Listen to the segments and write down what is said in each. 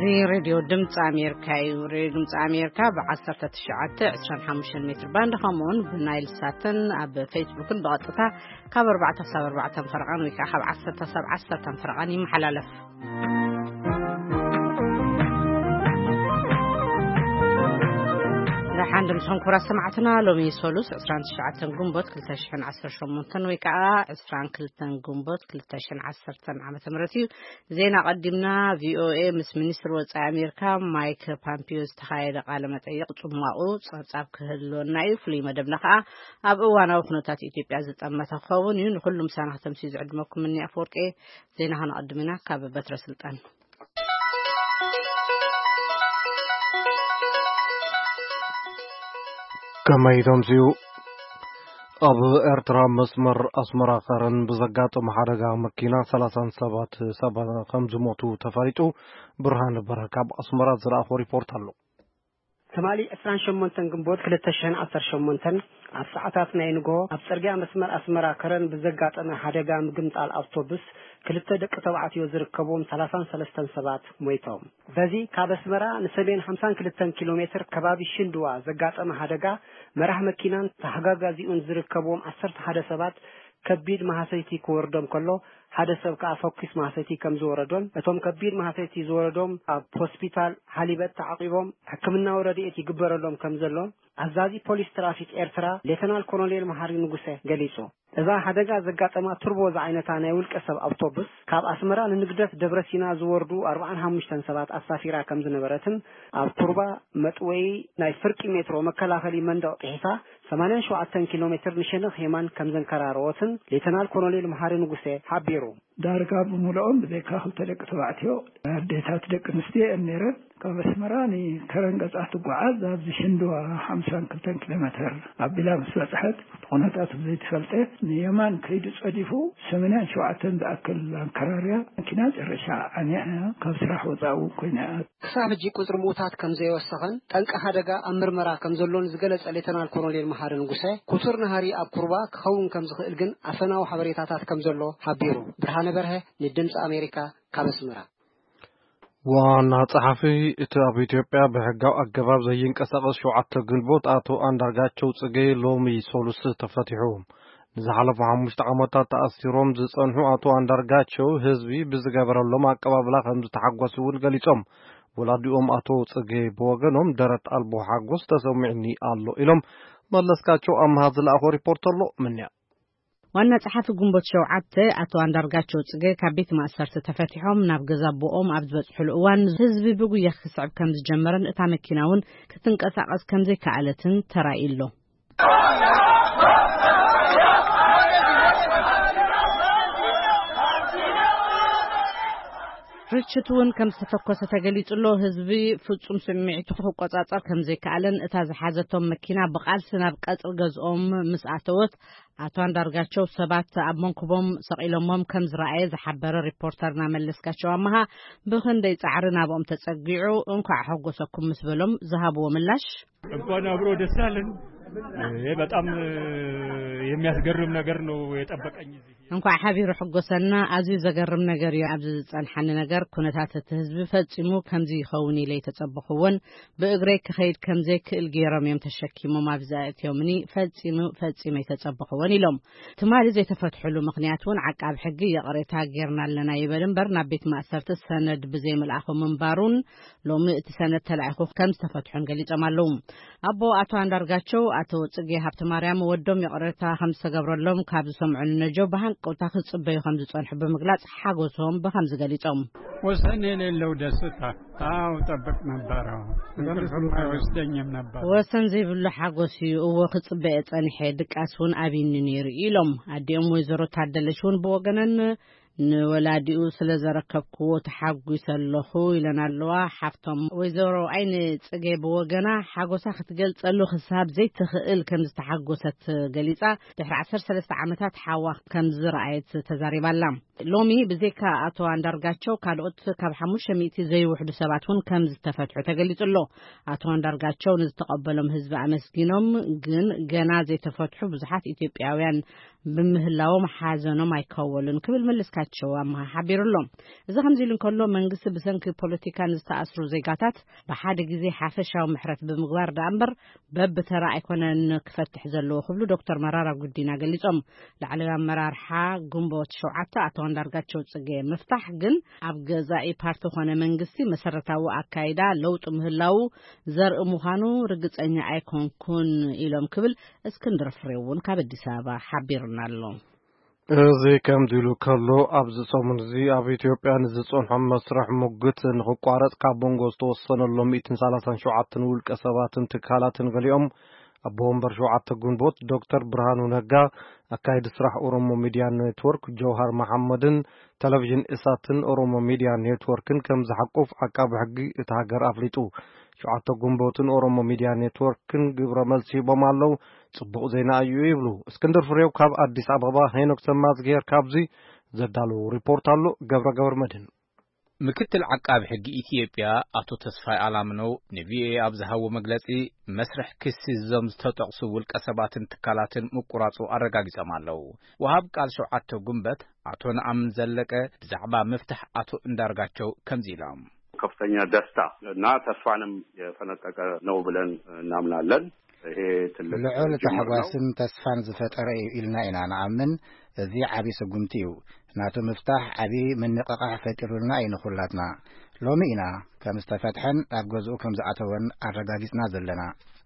እዚ ሬድዮ ድምፂ ኣሜሪካ እዩ። ሬድዮ ድምፂ ኣሜሪካ ብ19፣ 25 ሜትር ባንድ፣ ከምኡውን ብናይል ሳትን ኣብ ፌስቡክን ብቐጥታ ካብ ኣርባዕተ ክሳብ ኣርባዕተ ፈረቓን ወይ ከዓ ካብ ዓሰርተ ክሳብ ዓሰርተ ፈረቓን ይመሓላለፍ። ደሓን ድምፅኹም ክቡራት ሰማዕትና፣ ሎሚ ሶሉስ 29 ግንቦት 2018 ወይ ከዓ 22 ግንቦት 2010 ዓመተ ምህረት እዩ። ዜና ቀዲምና። ቪኦኤ ምስ ሚኒስትር ወጻኢ ኣሜሪካ ማይክ ፓምፒዮ ዝተኻየደ ቃለ መጠይቕ ጽማቑ ጸብጻብ ክህልወና እዩ። ፍሉይ መደብና ከኣ ኣብ እዋናዊ ኩነታት ኢትዮጵያ ዝጠመተ ክኸውን እዩ። ንኹሉ ምሳና ክተምስዩ ዝዕድመኩም እኒ ኣፈወርቂ። ዜና ከነቐድም ኢና ካብ በትረ ስልጣን። ከመይ ተምስዩ? ኣብ ኤርትራ መስመር ኣስመራ ከረን ብዘጋጠመ ሓደጋ መኪና 30 ሰባት፣ ሰባት ከም ዝሞቱ ተፈሊጡ። ብርሃን በረ ካብ ኣስመራ ዝለኣኾ ሪፖርት ኣሎ። ትማሊ 28 ግንቦት 2018 ኣብ ሰዓታት ናይ ንግሆ ኣብ ጽርግያ መስመር ኣስመራ ከረን ብዘጋጠመ ሓደጋ ምግምጣል ኣውቶቡስ ክልተ ደቂ ተባዕትዮ ዝርከብዎም 33 ሰባት ሞይቶም። በዚ ካብ ኣስመራ ንሰሜን 52 ኪሎ ሜትር ከባቢ ሽንድዋ ዘጋጠመ ሓደጋ መራሕ መኪናን ተሓጋጋዚኡን ዝርከብዎም 11 ሰባት ከቢድ ማህሰይቲ ክወርዶም ከሎ፣ ሓደ ሰብ ከኣ ፈኲስ ማህሰይቲ ከም ዝወረዶን፣ እቶም ከቢድ ማህሰይቲ ዝወረዶም ኣብ ሆስፒታል ሓሊበት ተዓቂቦም ሕክምናዊ ረድኤት ይግበረሎም ከም ዘሎን ኣዛዚ ፖሊስ ትራፊክ ኤርትራ ሌተናል ኮሎኔል መሓሪ ንጉሰ ገሊጹ። እዛ ሓደጋ ዘጋጠማ ቱርቦ ዝዓይነታ ናይ ውልቀ ሰብ ኣውቶቡስ ካብ ኣስመራ ንንግደት ደብረ ሲና ዝወርዱ 45 ሰባት ኣሳፊራ ከም ዝነበረትን፣ ኣብ ቱርባ መጥወዪ ናይ ፍርቂ ሜትሮ መከላኸሊ መንደቕ ጥሒሳ 87 ኪሎ ሜትር ንሸነኽ የማን ከም ዘንከራረወትን ሌተናል ኮሎኔል መሓሪ ንጉሴ ሓቢሩ። ዳርጋ ብምልኦም ብዘይካ ክልተ ደቂ ተባዕትዮ፣ ኣዴታት ደቂ ኣንስትዮ እየን ነይረን። ካብ ኣስመራ ንከረን ገጻ ትጓዓዝ ኣብዚ ሽንድዋ 52 ኪሎ ሜትር ኣቢላ ምስ በጽሐት፣ ብኹነታቱ ብዘይተፈልጠ ንየማን ከይዱ ጸዲፉ 87 ዝኣክል ኣንከራርያ መኪና ጨረሻ ዓንያ እያ። ካብ ስራሕ ወጻኢ እውን ኮይና እያ። ክሳብ ሕጂ ቁጽሪ ምዉታት ከም ዘይወሰኸን ጠንቂ ሓደጋ ኣብ ምርመራ ከም ዘሎን ዝገለጸ ሌተናል ኮሎኔል መሓሪ ንጉሰ፣ ክቱር ናህሪ ኣብ ኩርባ ክኸውን ከም ዝኽእል ግን ኣፈናዊ ሓበሬታታት ከም ዘሎ ሓቢሩ። ብርሃነ በርሀ ንድምጺ ኣሜሪካ ካብ ኣስመራ። ዋና ጸሓፊ እቲ ኣብ ኢትዮጵያ ብሕጋዊ ኣገባብ ዘይንቀሳቐስ ሸውዓተ ግንቦት ኣቶ ኣንዳርጋቸው ጽጌ ሎሚ ሶሉስ ተፈቲሑ። ንዝሓለፉ ሓሙሽተ ዓመታት ተኣሲሮም ዝጸንሑ ኣቶ ኣንዳርጋቸው ህዝቢ ብዝገበረሎም ኣቀባብላ ከም ዝተሓጎሱ እውን ገሊጾም። ወላዲኦም ኣቶ ጽጌ ብወገኖም ደረት ኣልቦ ሓጎስ ተሰሚዕኒ ኣሎ ኢሎም። መለስካቸው ኣምሃ ዝለኣኾ ሪፖርት ኣሎ ምንያ። ዋና ጸሓፊ ግንቦት ሸውዓተ ኣቶ ኣንዳርጋቸው ጽጌ ካብ ቤት ማእሰርቲ ተፈቲሖም ናብ ገዛ ኣቦኦም ኣብ ዝበጽሕሉ እዋን ህዝቢ ብጉያ ክስዕብ ከም ዝጀመረን እታ መኪና እውን ክትንቀሳቐስ ከም ዘይከኣለትን ተራእዩ ኣሎ። ርችት እውን ከም ዝተተኮሰ ተገሊጹ ኣሎ። ህዝቢ ፍጹም ስምዒቱ ክቆጻጸር ከም ዘይከኣለን እታ ዝሓዘቶም መኪና ብቓልሲ ናብ ቀጽሪ ገዝኦም ምስ ኣተወት ኣቶ ኣንዳርጋቸው ሰባት ኣብ መንኩቦም ሰቒሎሞም ከም ዝረኣየ ዝሓበረ ሪፖርተርና መለስካቸው ኣመሃ፣ ብኽንደይ ጻዕሪ ናብኦም ተጸጊዑ እንኳዕ ሓጎሰኩም ምስ በሎም ዝሃብዎ ምላሽ፣ እንኳን አብሮ ደስ አለን። ይሄ በጣም የሚያስገርም ነገር ነው የጠበቀኝ እዚህ። እንኳዕ ሓቢሩ ሕጎሰና። ኣዝዩ ዘገርም ነገር እዩ ኣብዚ ዝጸንሓኒ ነገር። ኩነታት እቲ ህዝቢ ፈጺሙ ከምዚ ይኸውን ኢለ ኣይተጸበኹዎን። ብእግረይ ክኸይድ ከም ዘይክእል ገይሮም እዮም ተሸኪሞም ኣብዚ ኣእትዮምኒ። ፈጺሙ፣ ፈጺመ ኣይተጸበኹዎን ኢሎም። ትማሊ ዘይተፈትሕሉ ምኽንያት እውን ዓቃብ ሕጊ ይቕሬታ ጌርና ኣለና ይበል እምበር ናብ ቤት ማእሰርቲ ሰነድ ብዘይምልኣኹ ምንባሩን ሎሚ እቲ ሰነድ ተላኢኹ ከም ዝተፈትሑን ገሊጾም ኣለዉ። ኣቦ ኣቶ ኣንዳርጋቸው ኣቶ ጽጌ ሃብተማርያም ወዶም ይቕሬታ ከም ዝተገብረሎም ካብ ዝሰምዑ ንነጀው ብሃንቀውታ ክጽበዩ ከም ዝጸንሑ ብምግላጽ ሓጎሶም ብኸምዚ ገሊጾም። ወሰን የሌለው ደስታ። አዎ፣ ጠብቅ ነበረ። እንቅልፍም አይወስደኝም ነበር። ወሰን ዘይብሉ ሓጎስ እዩ። እዎ፣ ክጽበየ ጸኒሐ፣ ድቃስ እውን ኣብይኒ ነይሩ ኢሎም። ኣዲኦም ወይዘሮ ታደለች እውን ብወገነን ንወላዲኡ ስለ ዘረከብክዎ ተሓጒሰ ኣለኹ ኢለን ኣለዋ። ሓፍቶም ወይዘሮ ኣይኒ ጽጌ ብወገና ሓጎሳ ክትገልጸሉ ክሳብ ዘይትኽእል ከም ዝተሓጎሰት ገሊጻ፣ ድሕሪ 13 ዓመታት ሓዋ ከም ዝረኣየት ተዛሪባ ኣላ። ሎሚ ብዘይካ ኣቶ ኣንዳርጋቸው ካልኦት ካብ ሓሙሽተ ሚእቲ ዘይውሕዱ ሰባት እውን ከም ዝተፈትሑ ተገሊጹ ኣሎ። ኣቶ ኣንዳርጋቸው ንዝተቐበሎም ህዝቢ ኣመስጊኖም፣ ግን ገና ዘይተፈትሑ ብዙሓት ኢትዮጵያውያን ብምህላዎም ሓዘኖም ኣይከወሉን ክብል መለስካቸው ኣምሃ ሓቢሩ ኣሎ። እዚ ከምዚ ኢሉ እንከሎ፣ መንግስቲ ብሰንኪ ፖለቲካ ንዝተኣስሩ ዜጋታት ብሓደ ግዜ ሓፈሻዊ ምሕረት ብምግባር ደኣ እምበር በብተራ ኣይኮነን ክፈትሕ ዘለዎ ክብሉ ዶክተር መራራ ጉዲና ገሊጾም። ላዕለዊ ኣመራርሓ ግንቦት ሸውዓተ ኣቶ ኣንዳርጋቸው ጽጌ ምፍታሕ ግን ኣብ ገዛኢ ፓርቲ ኾነ መንግስቲ መሰረታዊ ኣካይዳ ለውጢ ምህላዉ ዘርኢ ምዃኑ ርግጸኛ ኣይኮንኩን ኢሎም ክብል እስክንድር ፍሬው እውን ካብ ኣዲስ ኣበባ ሓቢሩና ኣሎ። እዚ ከምዚ ኢሉ ከሎ፣ ኣብዚ ሰሙን እዚ ኣብ ኢትዮጵያ ንዝጸንሖ መስርሕ ሙግት ንኽቋረጽ ካብ መንጎ ዝተወሰነሎም ሚእትን ሰላሳን ሸውዓተን ውልቀ ሰባትን ትካላትን ገሊኦም፣ ኣቦ ወንበር ሸውዓተ ግንቦት ዶክተር ብርሃኑ ነጋ፣ ኣካይዲ ስራሕ ኦሮሞ ሚድያ ኔትወርክ ጀውሃር መሓመድን ቴሌቪዥን ኢሳትን ኦሮሞ ሚድያ ኔትወርክን ከም ዝሓቁፍ ዓቃቢ ሕጊ እቲ ሃገር ኣፍሊጡ። ሸውዓተ ግንቦትን ኦሮሞ ሚድያ ኔትወርክን ግብረ መልሲ ሂቦም ኣለዉ። ጽቡቕ ዜና እዩ ይብሉ። እስክንድር ፍሬው ካብ ኣዲስ ኣበባ፣ ሄኖክ ሰማዝጌር ካብዚ ዘዳለዉ ሪፖርት ኣሎ። ገብረ ገብረ መድህን። ምክትል ዓቃቢ ሕጊ ኢትዮጵያ ኣቶ ተስፋይ ኣላምነው ንቪኦኤ ኣብ ዝሃቦ መግለጺ፣ መስርሕ ክሲ እዞም ዝተጠቕሱ ውልቀ ሰባትን ትካላትን ምቁራጹ ኣረጋጊጾም ኣለዉ። ወሃብ ቃል ሸውዓተ ጉንበት ኣቶ ነኣምን ዘለቀ ብዛዕባ ምፍታሕ ኣቶ እንዳርጋቸው ከምዚ ኢሎም። ከፍተኛ ደስታ እና ተስፋንም የፈነጠቀ ነው ብለን እናምናለን። ይሄ ትልቅ ልዑል ጅምር ነው። ታሕጓስን ተስፋን ዝፈጠረ እዩ ኢልና ኢና ንኣምን። እዚ ዓቢ ስጉምቲ እዩ። ናቱ ምፍታሕ ዓቢ ምንቕቓሕ ፈጢሩልና እዩ ንኹላትና። ሎሚ ኢና ከም ዝተፈትሐን ናብ ገዝኡ ከም ዝኣተወን ኣረጋጊጽና ዘለና።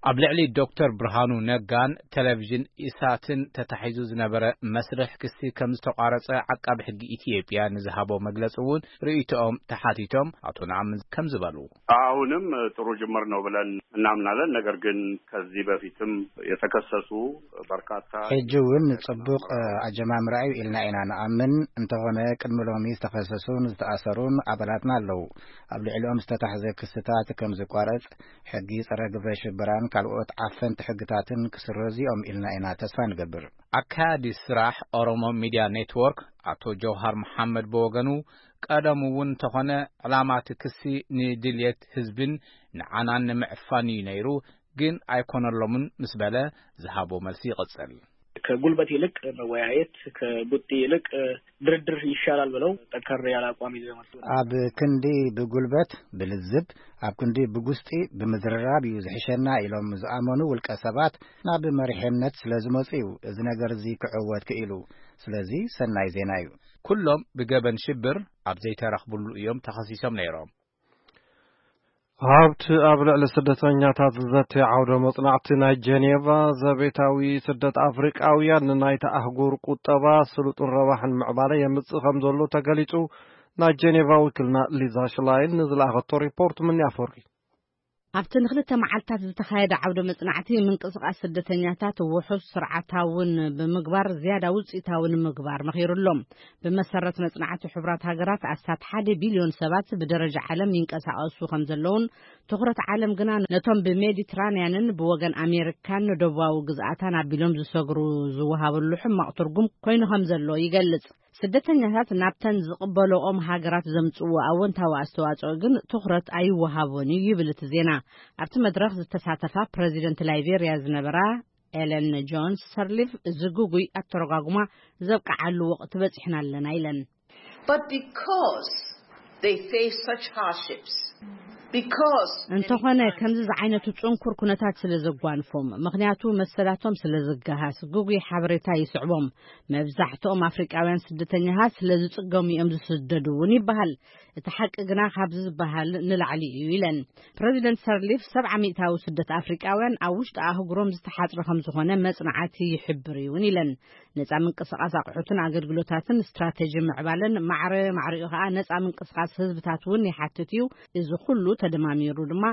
ኣብ ልዕሊ ዶክተር ብርሃኑ ነጋን ቴሌቪዥን ኢሳትን ተታሒዙ ዝነበረ መስርሕ ክሲ ከም ዝተቋረጸ ዓቃቢ ሕጊ ኢትዮጵያ ንዝሃቦ መግለጺ እውን ርእይቶኦም ተሓቲቶም ኣቶ ነኣምን ከም ዝበሉ። አሁንም ጥሩ ጅምር ነው ብለን እናምናለን። ነገር ግን ከዚህ በፊትም የተከሰሱ በርካታ ሕጂ እውን ጽቡቕ ኣጀማምራ እዩ ኢልና ኢና ንኣምን። እንተኾነ ቅድሚ ሎሚ ዝተኸሰሱን ዝተኣሰሩን ኣባላትና ኣለዉ። ኣብ ልዕሊኦም ዝተታሕዘ ክስታት ከም ዝቋረጽ፣ ሕጊ ጸረ ግብረ ሽበራን ካልኦት ዓፈንቲ ሕግታትን ክስረዙ እዮም ኢልና ኢና ተስፋ ንገብር። ኣካያዲ ስራሕ ኦሮሞ ሚድያ ኔትወርክ ኣቶ ጀውሃር መሓመድ ብወገኑ፣ ቀደሙ እውን እንተኾነ ዕላማ እቲ ክሲ ንድልየት ህዝብን ንዓናን ንምዕፋን እዩ ነይሩ፣ ግን ኣይኮነሎምን ምስ በለ ዝሃቦ መልሲ ይቕጽል። ከጉልበት ይልቅ መወያየት፣ ከቡጢ ይልቅ ድርድር ይሻላል ብለው ጠንከር ያለ አቋም ይዘው የመጡ። ኣብ ክንዲ ብጉልበት ብልዝብ፣ ኣብ ክንዲ ብጉስጢ ብምዝርራብ እዩ ዝሕሸና ኢሎም ዝኣመኑ ውልቀ ሰባት ናብ መሪሕነት ስለ ዝመጹ እዩ እዚ ነገር እዚ ክዕወት ክኢሉ። ስለዚ ሰናይ ዜና እዩ። ኩሎም ብገበን ሽብር ኣብ ዘይተረኽብሉ እዮም ተኸሲሶም ነይሮም። ሃብቲ ኣብ ልዕሊ ስደተኛታት ዝዘትይ ዓውደ መጽናዕቲ ናይ ጀኔቫ ዘቤታዊ ስደት ኣፍሪቃውያን ንናይታ ኣህጉር ቁጠባ ስሉጥን ረባሕን ምዕባለ የምጽእ ከም ዘሎ ተገሊጹ። ናይ ጀኔቫ ወኪልና ሊዛ ሽላይን ንዝለኣኸቶ ሪፖርት ምንያ ፈሪ። ኣብቲ ንክልተ መዓልታት ዝተኻየደ ዓውደ መጽናዕቲ ምንቅስቃስ ስደተኛታት ውሑስ ስርዓታውን ብምግባር ዝያዳ ውጽኢታዊ ንምግባር መኺሩ ኣሎ። ብመሰረት መጽናዕቲ ሕቡራት ሃገራት ኣስታት ሓደ ቢልዮን ሰባት ብደረጃ ዓለም ይንቀሳቐሱ ከም ዘለውን ትኹረት ዓለም ግና ነቶም ብሜዲትራንያንን ብወገን ኣሜሪካን ንደቡባዊ ግዝኣታን ኣቢሎም ዝሰግሩ ዝወሃበሉ ሕማቕ ትርጉም ኮይኑ ከም ዘሎ ይገልጽ። ስደተኛታት ናብተን ዝቕበለኦም ሃገራት ዘምጽእዎ ኣወንታዊ ኣስተዋጽኦ ግን ትኹረት ኣይወሃቦን እዩ ይብል እቲ ዜና። ኣብቲ መድረኽ ዝተሳተፋ ፕረዚደንት ላይቤርያ ዝነበራ ኤለን ጆንስ ሰርሊፍ፣ እዚ ግጉይ ኣተረጓጉማ ዘብቅዓሉ ወቕቲ በጺሕና ኣለና ኢለን። But because they face such hardships, because እንተኾነ ከምዚ ዝዓይነቱ ጽንኩር ኩነታት ስለ ዘጓንፎም፣ ምኽንያቱ መሰላቶም ስለ ዝገሃስ፣ ግጉይ ሓበሬታ ይስዕቦም። መብዛሕትኦም ኣፍሪቃውያን ስደተኛታት ስለ ዝጽገሙ እዮም ዝስደዱ እውን ይበሃል። እቲ ሓቂ ግና ካብዚ ዝበሃል ንላዕሊ እዩ ኢለን። ፕረዚደንት ሰርሊፍ፣ ሰብዓ ሚእታዊ ስደት ኣፍሪቃውያን ኣብ ውሽጢ ኣህጉሮም ዝተሓጽረ ከም ዝኾነ መጽናዕቲ ይሕብር እውን ኢለን። ነጻ ምንቅስቃስ ኣቑሑትን ኣገልግሎታትን ስትራቴጂ ምዕባለን ማዕረ ማዕሪኡ ከኣ ነጻ ምንቅስቃስ ህዝብታት እውን ይሓትት እዩ። እዚ ኩሉ ተደማሚሩ ድማ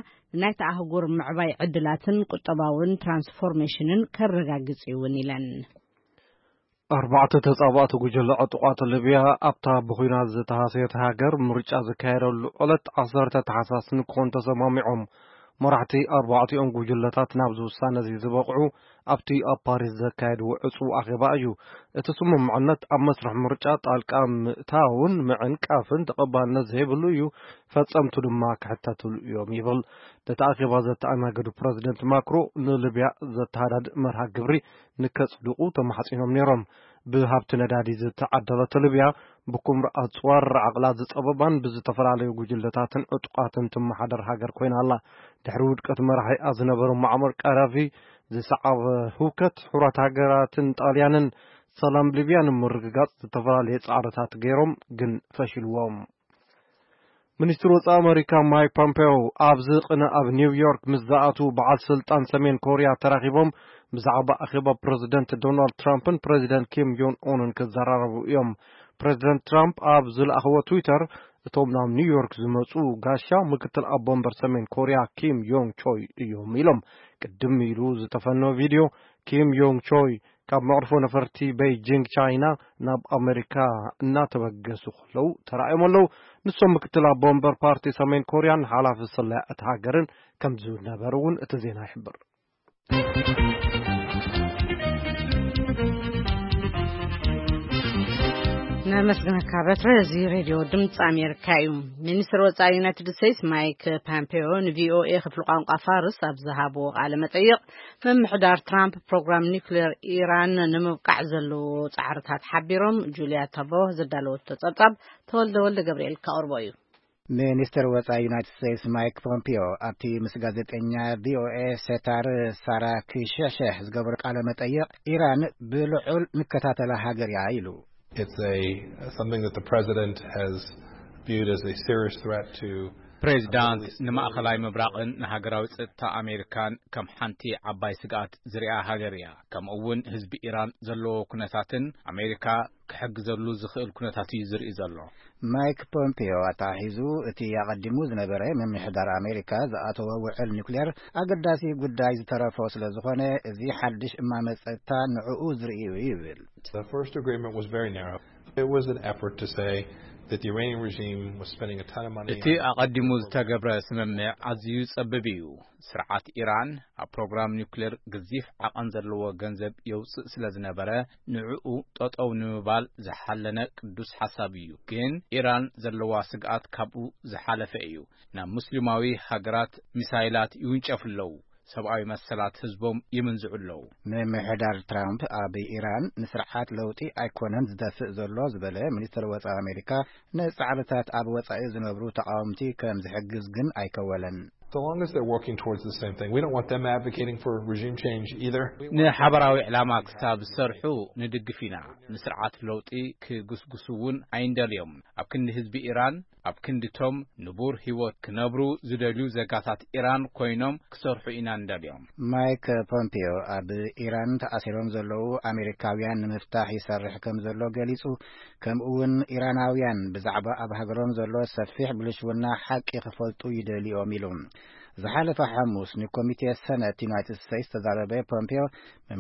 ናይታ ኣህጉር ምዕባይ ዕድላትን ቁጠባውን ትራንስፎርሜሽንን ከረጋግጽ እዩ እውን ኢለን። ኣርባዕተ ተጻባእቲ ጉጅለ ዕጡቓት ሊብያ ኣብታ ብኹናት ዝተሃሰየት ሃገር ምርጫ ዝካየደሉ ዕለት ዓሰርተ ታሕሳስ ንክኾን ተሰማሚዖም። መራሕቲ ኣርባዕቲኦም ጉጅለታት ናብዚ ውሳነ እዚ ዝበቕዑ ኣብቲ ኣብ ፓሪስ ዘካየድዎ ዕጹው ኣኼባ እዩ። እቲ ስምምዕነት ኣብ መስርሕ ምርጫ ጣልቃ ምእታውን ምዕንቃፍን ተቐባልነት ዘይብሉ እዩ፣ ፈጸምቱ ድማ ክሕተትሉ እዮም ይብል። ነቲ ኣኼባ ዘተኣናገዱ ፕረዚደንት ማክሮ ንሊብያ ዘተሃዳድእ መርሃ ግብሪ ንከጽድቑ ተማሕጺኖም ነይሮም። ብሃብቲ ነዳዲ ዝተዓደለት ሊብያ ብኩምራ ኣጽዋር ዓቕላ ዝጸበባን ብዝተፈላለዩ ጉጅለታትን ዕጡቓትን ትመሓደር ሃገር ኮይና ኣላ። ድሕሪ ውድቀት መራሒኣ ዝነበረ ሙዓመር ቀዳፊ ዝሰዓበ ህውከት፣ ሕቡራት ሃገራትን ጣልያንን ሰላም ሊብያ ንምርግጋጽ ዝተፈላለየ ጻዕርታት ገይሮም፣ ግን ፈሽልዎም። ሚኒስትሪ ወጻኢ ኣመሪካ ማይክ ፖምፔዮ ኣብዚ ቅነ ኣብ ኒውዮርክ ምስ ዝኣትዉ በዓል ስልጣን ሰሜን ኮርያ ተራኺቦም ብዛዕባ ኣኼባ ፕረዚደንት ዶናልድ ትራምፕን ፕረዚደንት ኪም ዮን ኡንን ክዘራረቡ እዮም። ፕረዚደንት ትራምፕ ኣብ ዝለኣኽዎ ትዊተር፣ እቶም ናብ ኒውዮርክ ዝመጹ ጋሻ ምክትል ኣቦ ወንበር ሰሜን ኮርያ ኪም ዮንግ ቾይ እዮም ኢሎም። ቅድም ኢሉ ዝተፈነወ ቪድዮ፣ ኪም ዮንግ ቾይ ካብ መዕርፎ ነፈርቲ ቤይጂንግ ቻይና ናብ ኣመሪካ እናተበገሱ ከለዉ ተራእዮም ኣለዉ። ንሶም ምክትል ኣቦ ወንበር ፓርቲ ሰሜን ኮርያን ሓላፊ ስለያ እታ ሃገርን ከም ዝነበሩ እውን እቲ ዜና ይሕብር። ነመስግነካ በትረ። እዚ ሬድዮ ድምፂ ኣሜሪካ እዩ። ሚኒስትር ወፃኢ ዩናይትድ ስቴትስ ማይክ ፓምፔዮ ንቪኦኤ ክፍሊ ቋንቋ ፋርስ ኣብ ዝሃብዎ ቃለ መጠይቕ፣ ምምሕዳር ትራምፕ ፕሮግራም ኒውክሌር ኢራን ንምብቃዕ ዘለዎ ጻዕርታት ሓቢሮም። ጁልያ ተቦ ዘዳለወቶ ጸብጻብ ተወልደ ወልደ ገብርኤል ከቕርቦ እዩ። ሚኒስትር ወጻኢ ዩናይትድ ስቴትስ ማይክ ፖምፒዮ ኣብቲ ምስ ጋዜጠኛ ቪኦኤ ሴታር ሳራ ክሸሸሕ ዝገበሮ ቃለ መጠይቕ፣ ኢራን ብልዑል ንከታተላ ሃገር እያ ኢሉ። It's a something that the president has viewed as a serious threat to ፕሬዚዳንት ንማእኸላይ ምብራቕን ንሃገራዊ ጸጥታ ኣሜሪካን ከም ሓንቲ ዓባይ ስግኣት ዝሪኣ ሃገር እያ። ከምኡ እውን ህዝቢ ኢራን ዘለዎ ኩነታትን ኣሜሪካ ክሕግዘሉ ዝኽእል ኩነታት እዩ ዝርኢ ዘሎ። ማይክ ፖምፒዮ ኣተሓሒዙ፣ እቲ ኣቐዲሙ ዝነበረ ምምሕዳር ኣሜሪካ ዝኣተወ ውዕል ኒውክሌር ኣገዳሲ ጉዳይ ዝተረፎ ስለ ዝኾነ፣ እዚ ሓድሽ እማመ ጸጥታ ንዕኡ ዝርኢ እዩ ይብል። The first agreement was very narrow. It was an effort to say that the Iranian regime was spending a ton of money እቲ on ኣቐዲሙ ዝተገብረ ስምምዕ ኣዝዩ ጸብብ እዩ። ስርዓት ኢራን ኣብ ፕሮግራም ኒውክሌር ገዚፍ ዓቐን ዘለዎ ገንዘብ የውጽእ ስለ ዝነበረ፣ ንዕኡ ጠጠው ንምባል ዝሓለነ ቅዱስ ሓሳብ እዩ። ግን ኢራን ዘለዋ ስግኣት ካብኡ ዝሓለፈ እዩ። ናብ ሙስሊማዊ ሃገራት ሚሳይላት ይውንጨፉ ኣለዉ። ሰብኣዊ መሰላት ህዝቦም ይምንዝዑ ኣለዉ። ምምሕዳር ትራምፕ ኣብ ኢራን ንስርዓት ለውጢ ኣይኮነን ዝደፍእ ዘሎ ዝበለ ሚኒስትር ወጻኢ ኣሜሪካ፣ ንጻዕርታት ኣብ ወጻኢ ዝነብሩ ተቓወምቲ ከም ዝሕግዝ ግን ኣይከወለን። So long as they're working towards the same thing, we don't want them advocating for regime change either. We want ንሓበራዊ ዕላማ ክሳብ ዝሰርሑ ንድግፍ ኢና። ንስርዓት ለውጢ ክጉስጉሱ እውን ኣይንደልዮም። ኣብ ክንዲ ህዝቢ ኢራን፣ ኣብ ክንድቶም ንቡር ህይወት ክነብሩ ዝደልዩ ዜጋታት ኢራን ኮይኖም ክሰርሑ ኢና ንደልዮም። ማይክ ፖምፒዮ ኣብ ኢራን ተኣሲሮም ዘለዉ ኣሜሪካውያን ንምፍታሕ ይሰርሕ ከም ዘሎ ገሊጹ። ከምኡ እውን ኢራናውያን ብዛዕባ ኣብ ሃገሮም ዘሎ ሰፊሕ ብልሽውና ሓቂ ክፈልጡ ይደልዮም ኢሉ። ዝሓለፈ ሓሙስ ንኮሚቴ ሰነት ዩናይትድ ስቴትስ ተዛረበ ፖምፒዮ፣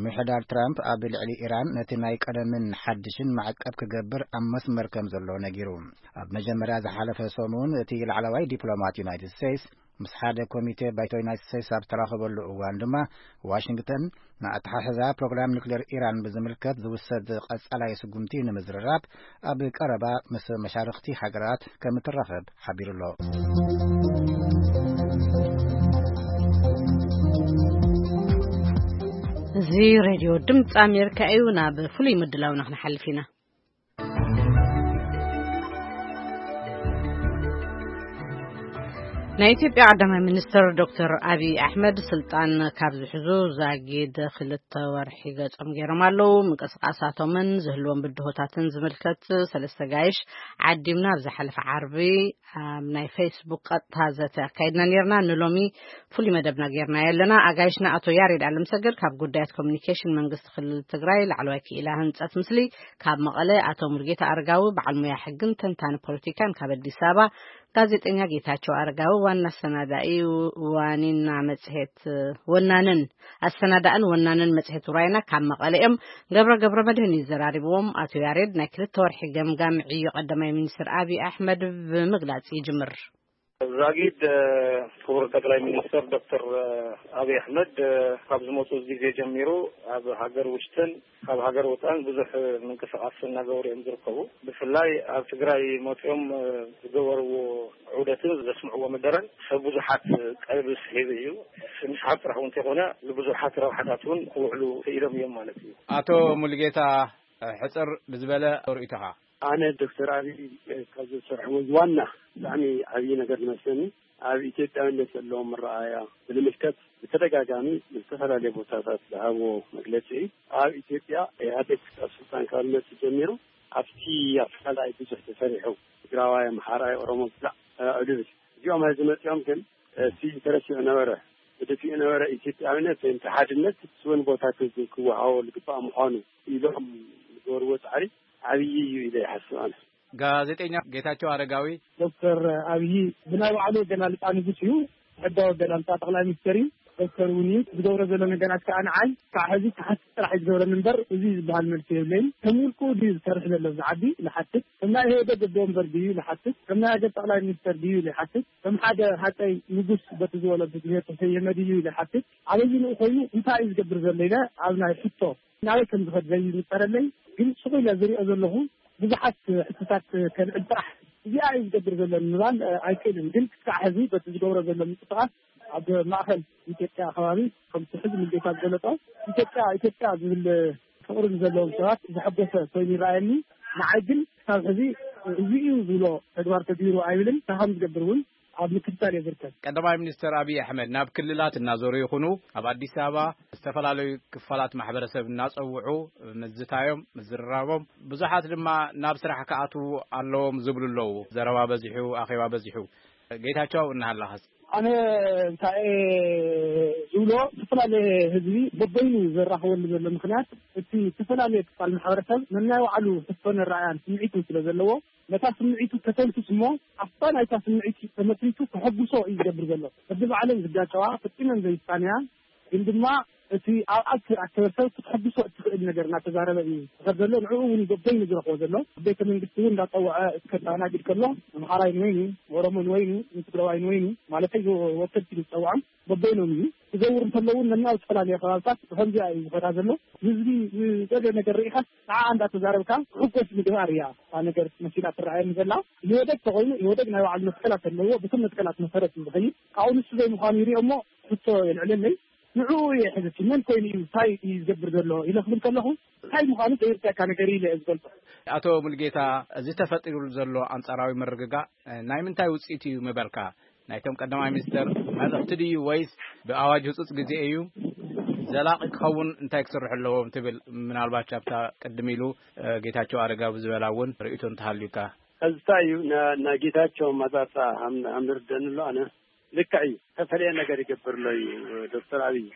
ምምሕዳር ትራምፕ ኣብ ልዕሊ ኢራን ነቲ ናይ ቀደምን ሓድሽን ማዕቀብ ክገብር ኣብ መስመር ከም ዘሎ ነጊሩ። ኣብ መጀመርያ ዝሓለፈ ሰሙን እቲ ላዕለዋይ ዲፕሎማት ዩናይትድ ስቴትስ ምስ ሓደ ኮሚቴ ባይቶ ዩናይትድ ስቴትስ ኣብ ዝተራኸበሉ እዋን ድማ፣ ዋሽንግተን ንኣተሓሕዛ ፕሮግራም ኒውክሌር ኢራን ብዝምልከት ዝውሰድ ቀጻላይ ስጉምቲ ንምዝርራብ ኣብ ቀረባ ምስ መሻርኽቲ ሃገራት ከም እትራኸብ ሓቢሩ ኣሎ። እዚ ሬድዮ ድምፂ ኣሜሪካ እዩ። ናብ ፍሉይ ምድላውና ክንሓልፍ ኢና። ናይ ኢትዮጵያ ቀዳማይ ሚኒስትር ዶክተር ኣብይ ኣሕመድ ስልጣን ካብ ዝሕዙ ዛጊድ ክልተ ወርሒ ገጾም ገይሮም ኣለዉ። ምንቅስቃሳቶምን ዝህልዎም ብድሆታትን ዝምልከት ሰለስተ ጋይሽ ዓዲምና ኣብ ዝሓለፈ ዓርቢ ኣብ ናይ ፌስቡክ ቀጥታ ዘተ ኣካይድና ነርና። ንሎሚ ፍሉይ መደብና ገይርናዮ ኣለና። ኣጋይሽና ኣቶ ያሬድ ኣለምሰገድ ካብ ጉዳያት ኮሚኒኬሽን መንግስቲ ክልል ትግራይ ላዕለዋይ ክኢላ ህንጸት ምስሊ፣ ካብ መቐለ ኣቶ ሙሉጌታ ኣረጋዊ በዓል ሙያ ሕግን ተንታኒ ፖለቲካን፣ ካብ ኣዲስ ኣበባ ጋዜጠኛ ጌታቸው ኣረጋዊ ዋና ኣሰናዳኢ ዋኒና መጽሔት፣ ወናንን ኣሰናዳእን ወናንን መጽሔት ውራይና ካብ መቐለ እዮም። ገብረ ገብረ መድህን ይዘራሪብዎም። ኣቶ ያሬድ ናይ ክልተ ወርሒ ገምጋም ዕዮ ቀዳማይ ሚኒስትር ኣብይ ኣሕመድ ብምግላጽ ይጅምር። ዛጊድ ክቡር ጠቅላይ ሚኒስትር ዶክተር ኣብይ ኣሕመድ ካብ ዝመፁ ግዜ ጀሚሩ ኣብ ሃገር ውሽጥን ካብ ሃገር ወፃእን ብዙሕ ምንቅስቃስ እናገበሩ እዮም ዝርከቡ። ብፍላይ ኣብ ትግራይ መፂኦም ዝገበርዎ ዑደትን ዘስምዕዎ መደረን ሰብ ብዙሓት ቀልቢ ስሒቡ እዩ። ንስሓብ ጥራሕ እውን እንተይኮነ ንብዙሓት ረብሓታት እውን ክውዕሉ ክኢሎም እዮም ማለት እዩ። ኣቶ ሙሉጌታ ሕፅር ብዝበለ ርእይቶኻ። ኣነ ዶክተር ኣብይ ካብ ዝሰርሕዎ ዋና ብጣዕሚ ዓብዪ ነገር ዝመስለኒ ኣብ ኢትዮጵያዊነት ዘለዎም መረኣያ ብልምልከት ብተደጋጋሚ ብዝተፈላለየ ቦታታት ዝሃብዎ መግለፂ እዩ። ኣብ ኢትዮጵያ ኢህኣዴግ ኣብ ስልጣን ካብ ዝመፅእ ጀሚሩ ኣብቲ ኣፈላላይ ብዙሕ ተሰሪሑ ትግራዋይ፣ ኣምሓራይ፣ ኦሮሞ ብዛዕ ዕድል እዚኦም ሕዚ መፂኦም ግን እቲ ተረሲዑ ነበረ፣ ተደፊኡ ነበረ ኢትዮጵያዊነት ወይም ሓድነት እውን ቦታ ክወሃቦ ዝግባእ ምዃኑ ኢሎም ዝገበርዎ ፃዕሪ ዓብዪ እዩ ኢለ ይሓስብ ኣነ። ጋዜጠኛ ጌታቸው ኣረጋዊ። ዶክተር ኣብይ ብናይ ባዕሉ ኣገላልፃ ንጉስ እዩ። ሕጋዊ ኣገላልፃ ጠቅላይ ሚኒስትር እዩ። ዶክተር እውን እዩ ዝገብሮ ዘሎ ነገራት ከዓ ንዓይ ከዓ ሕዚ ተሓስብ ጥራሕ እዩ ዝገብረኒ እምበር እዚ ዝበሃል መልሲ የብለይን። ከም ውልቁ ድዩ ዝሰርሕ ዘሎ ኣብዚ ዓዲ ንሓትት። ከም ናይ ኢህወደግ ኣቦ ወንበር ድዩ ንሓትት። ከም ናይ ሃገር ጠቅላይ ሚኒስትር ድዩ ንሓትት። ከም ሓደ ሃፀይ ንጉስ በቲ ዝወለዱ ግዜ ተሰየመ ድዩ ንሓትት። ኣበይንኡ ኮይኑ እንታይ እዩ ዝገብር ዘሎ ኢለ ኣብ ናይ ሕቶ ናበይ ከም ዝኸድ ዘይንፀረለይ ግን ስቕ ኢለ ዝሪኦ ዘለኹ ብዙሓት ሕቶታት ከልዕል ጥራሕ እዚኣ እዩ ዝገብር ዘሎ ንምባል ኣይክእልን። ግን ክሳዕ ሕዚ በቲ ዝገብሮ ዘሎ ምንቅስቃስ ኣብ ማእኸል ኢትዮጵያ ከባቢ ከምቲ ሕዚ ሙሉጌታ ዝገለፆ ኢትዮጵያ ኢትዮጵያ ዝብል ፍቅሪ ንዘለዎም ሰባት ዘሐጎሰ ኮይኑ ይረኣየኒ። ንዓይ ግን ክሳብ ሕዚ እዚ እዩ ዝብሎ ተግባር ተግቢሩ ኣይብልን። እንታይ ከም ዝገብር እውን ኣብ ምክትታል እየ ዝርከብ። ቀዳማይ ሚኒስትር ኣብይ ኣሕመድ ናብ ክልላት እናዞሩ ይኹኑ ኣብ ኣዲስ ኣበባ ዝተፈላለዩ ክፋላት ማሕበረሰብ እናፀውዑ ምዝታዮም ምዝርራቦም ብዙሓት ድማ ናብ ስራሕ ክኣትዉ ኣለዎም ዝብሉ ኣለዉ። ዘረባ በዚሑ፣ ኣኼባ በዚሑ። ጌታቸው እናሃለኻስ? ኣነ እንታይ እየ ዝብሎ፣ ዝተፈላለየ ህዝቢ በበይኑ ዘራኽበሉ ዘሎ ምኽንያት እቲ ዝተፈላለየ ክፋል ማሕበረሰብ ነናይ ባዕሉ ሕቶን ኣረኣያን ስምዒትን ስለ ዘለዎ ነታ ስምዒቱ ከተንፍስ እሞ ኣብታ ናይታ ስምዒት ተመስሪቱ ከሐጉሶ እዩ ዝገብር ዘሎ። በቢ ባዕለን ዝጋጨዋ ፈጺመን ዘይሳነያ ግን ድማ እቲ ኣብኣ ዝተኣከበ ሰብ ክትሐጉሶ እትኽእል ነገር እናተዛረበ እዩ ዝኸድ ዘሎ። ንዕኡ እውን በበይኑ ዝረኽቦ ዘሎ። ኣብ ቤተ መንግስቲ እውን እንዳጸውዐ እስከ ኣስተኣናግድ ከሎ ኣምሓራይ ንወይኑ፣ ኦሮሞ ንወይኑ፣ ንትግራዋይ ንወይኑ ማለተይ ወከልቲ ዝጸውዖም በበይኖም እዩ። ክዘውር እንተሎ እውን ነናብ ዝተፈላለየ ከባብታት ብኸምዚኣ እዩ ዝኸዳ ዘሎ። ህዝቢ ዝደልዮ ነገር ርኢኻስ ንዓ እንዳተዛረብካ ክሕጎስ ምግባር እያ እታ ነገር መሲላ ትረኣየኒ ዘላ። ኢህወደግ ተኾይኑ ኢህወደግ ናይ ባዕሉ መትከላት ኣለዎ። ብቶም መትከላት መሰረት እዩ ዝኸይድ። ካብኡ ንሱ ዘይምዃኑ ይሪኦ እሞ ሕቶ የልዕለለይ። ንዕኡ እየ ሕዚ እቲ መን ኮይኑ እዩ እንታይ እዩ ዝገብር ዘሎ ኢለ ክብል ከለኹ እንታይ ምዃኑ ዘይርዳእካ ነገር ኢለ እየ ዝገልጾ። ኣቶ ሙሉጌታ፣ እዚ ተፈጢሩ ዘሎ ኣንጻራዊ ምርግጋእ ናይ ምንታይ ውጽኢት እዩ ምበልካ? ናይቶም ቀዳማይ ሚኒስተር መልእኽቲ ድዩ ወይስ ብኣዋጅ ህጹጽ ግዜ እዩ? ዘላቒ ክኸውን እንታይ ክስርሑ ኣለዎም ትብል? ምናልባት ኣብታ ቅድም ኢሉ ጌታቸው ኣረጋዊ ዝበላ እውን ርእይቶ እንተሃልዩካ። ሕዝታ እዩ ና- ናይ ጌታቸው ኣመጻጽኣ ሃም- ሃም ዝርደኒ ኣሎ ኣነ ልክዕ እዩ። ዝተፈለየ ነገር ይገብር ኣሎ እዩ ዶክተር ኣብይ።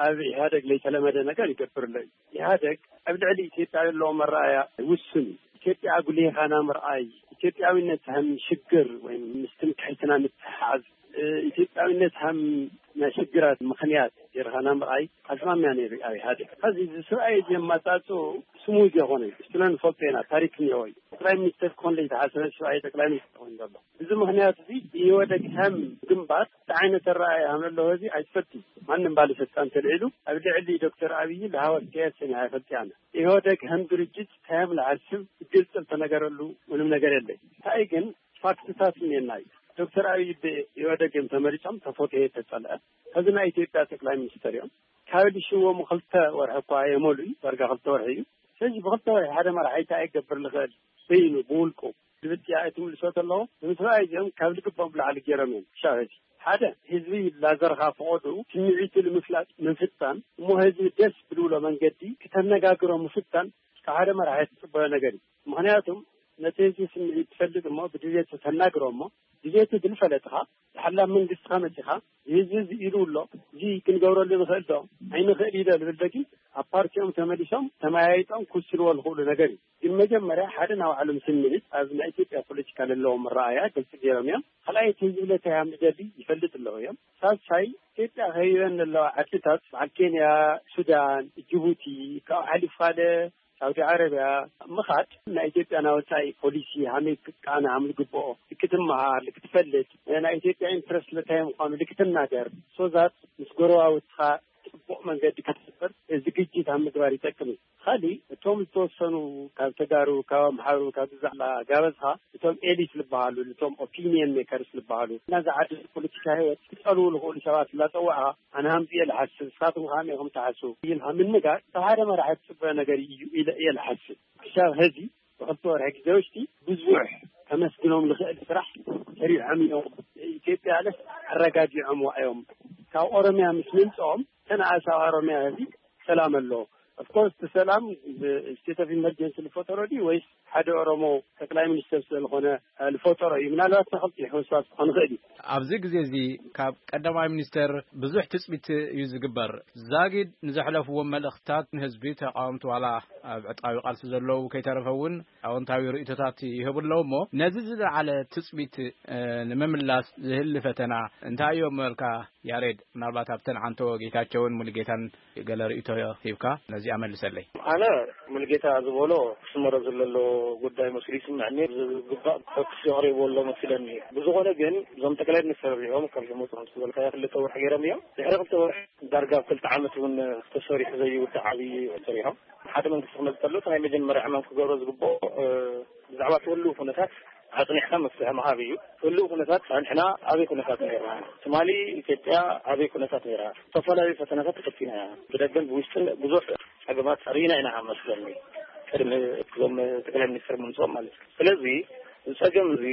ኣብ ኢህኣደግ ለይተለመደ ነገር ይገብር ኣሎ እዩ። ኢህኣደግ ኣብ ልዕሊ ኢትዮጵያ ዘለዎ መረኣያ ውሱን እዩ። ኢትዮጵያ ኣጉሊኻ ምርኣይ፣ ኢትዮጵያዊነት ከም ሽግር ወይ ምስ ትምክሕትና ምትሓዝ፣ ኢትዮጵያዊነት ከም ናይ ሽግራት ምኽንያት ጌርኻ ምርኣይ ኣዝማሚያ ነይሩ ኣብ ኢህኣደግ። ሕዚ እዚ ስርኣይ እዚ ኣመጻጽኡ ስሙዝ የኾነ፣ ንስለ ንፈልጦ ኢና፣ ታሪክ እኒኦ እዩ። ጠቅላይ ሚኒስተር ክኾን ለይተሓሰበ ስርኣይ ጠቅላይ ሚኒስተር ኮይኑ ዘሎ። እዚ ምኽንያት እዚ ኢህወደግ ከም ግንባር እንታይ ዓይነት ኣረኣእያ ከም ዘለዎ እዚ ኣይትፈልጥን። ማንም ባለስልጣን ተልዒሉ ኣብ ልዕሊ ዶክተር ኣብይ ለሃወት ከየሰን ኣይፈልጥ ኣነ። ኢህወደግ ከም ድርጅት እንታይ ከም ዝሓስብ ግልፂ ዝተነገረሉ ምንም ነገር የለይ። እንታይ ግን ፋክትታት እኒኤና እዩ። ዶክተር ኣብይ ብኢህወደግ እዮም ተመሪፆም፣ ተፈትሔ ተፀልአ። ሕዚ ናይ ኢትዮጵያ ጠቅላይ ሚኒስተር እዮም። ካብ ልሽዎም ክልተ ወርሒ እኳ የመሉ እዩ፣ ዳርጋ ክልተ ወርሒ እዩ። ስለዚ ብክልተ ወርሒ ሓደ መራሒ እንታይ ይገብር ዝኽእል በይኑ ብውልቁ ዝብል ጥያቄ ትምልሶ ተለዎ ንምስራይ እዚኦም ካብ ልግቦም ላዕሊ ገይሮም እዮም ክሻብ ሕዚ። ሓደ ህዝቢ ላዘርኻ ፈቐዱ ስምዒቱ ንምፍላጥ ምፍታን እሞ ህዝቢ ደስ ብልብሎ መንገዲ ክተነጋግሮ ምፍታን ካብ ሓደ መራሒ ትፅበዮ ነገር እዩ። ምኽንያቱም ነቲ ህዝቢ ስምዒት ትፈልጥ እሞ ብድሌቱ ተናግሮ እሞ ድሌቱ ዝልፈለጥኻ ዝሓላ መንግስትኻ መፂኻ ህዝቢ እዚ ኢሉ ኣሎ፣ እዚ ክንገብረሉ ንኽእል ዶ ኣይንኽእል ኢለ ዝብል ደጊ ኣብ ፓርቲኦም ተመሊሶም ተመያይጦም ክውስንዎ ዝኽእሉ ነገር እዩ። ግን መጀመርያ ሓደ ናይ ባዕሎም ስምዒት ኣብ ናይ ኢትዮጵያ ፖለቲካ ዘለዎም ኣረኣእያ ግልፂ ገይሮም እዮም። ካልኣይ እቲ ህዝቢ ለታይ ሃም ዝደሊ ይፈልጥ ኣለዉ እዮም። ሳልሳይ ኢትዮጵያ ከይበን ዘለዋ ዓድታት በዓል ኬንያ፣ ሱዳን፣ ጅቡቲ ካብኡ ሓሊፉ ካልእ ሳውዲ ዓረብያ ምኻድ ናይ ኢትዮጵያ ናይ ወፃኢ ፖሊሲ ሃመይ ክቃነ ሃም ዝግብኦ ክትመሃር ክትፈልጥ፣ ናይ ኢትዮጵያ ኢንትረስት ለታይ ምዃኑ ልክትናገር ሶዛት ምስ ጎረባውትኻ ጽቡቕ መንገዲ ክትፍጥር ዝግጅት ኣብ ምግባር ይጠቅም እዩ። ካሊእ እቶም ዝተወሰኑ ካብ ተጋሩ፣ ካብ ኣምሓሩ፣ ካብ ብዛዕባ ጋበዝኻ እቶም ኤሊት ዝበሃሉ፣ እቶም ኦፒኒየን ሜከርስ ዝበሃሉ እና ዝዓዲ ፖለቲካ ህይወት ክጸልዉ ዝኽእሉ ሰባት እናጸዋዕኻ ኣነ ሃምዚ እየ ዝሓስብ፣ ንስኻትኩም ከመይ ኢኹም ትሓስቡ ኢልካ ምንጋር ካብ ሓደ መራሒ ትጽበዮ ነገር እዩ ኢለ እየ ዝሓስብ። ክሳብ ሕዚ ብክልተ ወርሒ ግዜ ውሽጢ ብዙሕ ከመስግኖም ዝኽእል ስራሕ ሰሪሖም እዮም። ኢትዮጵያ ለስ ኣረጋጊዖምዋ እዮም። ካብ ኦሮሚያ ምስ ምምፅኦም ተነኣስ ኣብ ኦሮሚያ ህዝቢ ሰላም ኣሎ። ኦፍኮርስ እቲ ሰላም ስቴት ኦፍ ኢመርጀንሲ ዝፈጠሮ ድዩ ወይስ ሓደ ኦሮሞ ጠቅላይ ሚኒስትር ስለዝኾነ ዝፈጠሮ እዩ? ምናልባት ተኸልጢ ሕውሳስ ክኾን ይኽእል እዩ። ኣብዚ ግዜ እዚ ካብ ቀዳማይ ሚኒስተር ብዙሕ ትጽቢት እዩ ዝግበር። ዛጊድ ንዘሕለፍዎም መልእኽትታት ንህዝቢ ተቃወምቲ ዋላ ኣብ ዕጥቃዊ ቃልሲ ዘለዉ ከይተረፈ እውን ኣወንታዊ ርእይቶታት ይህቡ ኣለዉ። እሞ ነዚ ዝለዓለ ትጽቢት እ፣ ንምምላስ ዝህሊ ፈተና እንታይ እዮም መልካ ያሬድ? ምናልባት ኣብተን ዓንቶ ጌታቸውን ሙሉጌታን ገለ ርእይቶ ሂብካ ነዚኣ መልሰለይ። ኣነ ሙሉጌታ ዝበሎ ክስመሮ ዘለዎ ጉዳይ መስሉ ይስምዐኒ። ዝግባእ ፈኩስ የቕሪብዎ ኣሎ መስለኒ። ብዝኾነ ግን እዞም ጠቅላይ ሚኒስትር እዚኦም ካብ ዝመፁ ከም ዝበልካዮ ክልተ ወርሒ ገይሮም እዮም። ድሕሪ ክልተ ወርሒ ዳርጋ ኣብ ክልተ ዓመት እውን ተሰሪሑ ዘይውዳእ ዓብዪ ሰሪሖም። ሓደ መንግስቲ ክመፅእ ከሎ እቲ ናይ መጀመርያ ዕማም ክገብሮ ዝግብኦ እ፣ ብዛዕባ እቲ ህልው ኩነታት ኣፅኒሕካ መፍትሒ ምሃብ እዩ። ህልው ኩነታት ፃንሕና ኣበይ ኩነታት ነይርና? ትማሊ ኢትዮጵያ ኣበይ ኩነታት ነይራ? ዝተፈላለዩ ፈተናታት ተፈቲና ኢና። ብደገን ብውሽጥን ብዙሕ ፀገማት ርኢና ኢና መስለኒ ቅድሚ እዞም ጠቅላይ ሚኒስትር ምምፅኦም ማለት እዩ። ስለዚ እዚ ፀገም እዚ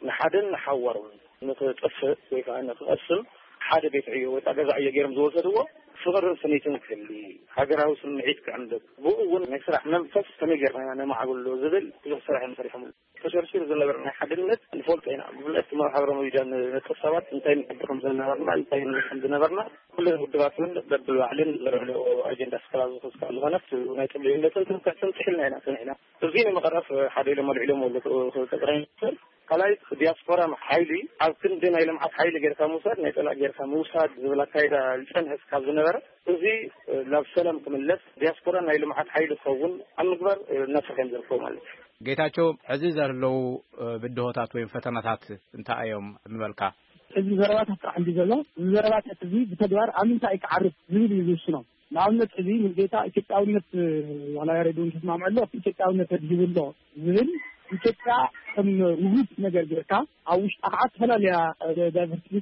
ንሓደን ንሓዋሩን ንክጠፍእ ወይ ከዓ ንክቐስም ሓደ ቤት ዕዮ ወይ ከዓ ገዛ ዕዮ ገይሮም ዝወሰድዎ ፍቕርን ስኒትን ክህሊ፣ ሃገራዊ ስምዒት ክዕንብብ፣ ብኡ እውን ናይ ስራሕ መንፈስ ከመይ ጌርና ኢና ነማዕብሎ ዝብል ብዙሕ ስራሕ እዮም ሰሪሖምሉ። ተሸርሺሩ ዝነበረ ናይ ሓድነት ንፈልጦ ኢና። ብፍላይ እቲ ማሕበራዊ ሚድያ ንነጥፍ ሰባት እንታይ ንገብር ከም ዝነበርና፣ እንታይ ንብል ከም ዝነበርና ኩለን ውድባት እውን በብባዕልን ዘልዕልኦ ኣጀንዳ ስከላ ዝኽስ ካብ ዝኾነት ናይ ጥብልዩነትን ትምክሕትን ጥሒልና ኢና ጸኒሕና። እዚ ንምቕራፍ ሓደ ኢሎም ኣልዒሎም ኣለዉ ጠቅላይ ሚኒስትር። ካልኣይ ዲያስፖራ ሓይሊ ኣብ ክንዲ ናይ ልምዓት ሓይሊ ጌርካ ምውሳድ ናይ ጸላእ ጌርካ ምውሳድ ዝብል ኣካይዳ ዝጸንሐ ካብ ዝነበረ እዚ ናብ ሰላም ክምለስ ዲያስፖራ ናይ ልምዓት ሓይሊ ክኸውን ኣብ ምግባር እናሰርሐ እዮም ዝርከቡ ማለት እዩ። ጌታቸው፣ ሕዚ ዘለዉ ብድሆታት ወይም ፈተናታት እንታይ እዮም ምበልካ? እዚ ዘረባታት ጥራሕ እንዲ ዘሎ፣ እዚ ዘረባታት እዚ ብተግባር ኣብ ምንታይ ክዓርፍ ዝብል እዩ ዝውስኖ። ንኣብነት እዚ ሙሉጌታ ኢትዮጵያውነት ዋላ ያሬድ እውን ተስማምዐ ኣሎ ኢትዮጵያውነት ኣድሂቡ ኣሎ ዝብል ኢትዮጵያ ከም ውሁድ ነገር ጌርካ ኣብ ውሽጣ ከዓ ዝተፈላለያ ዳይቨርሲቲ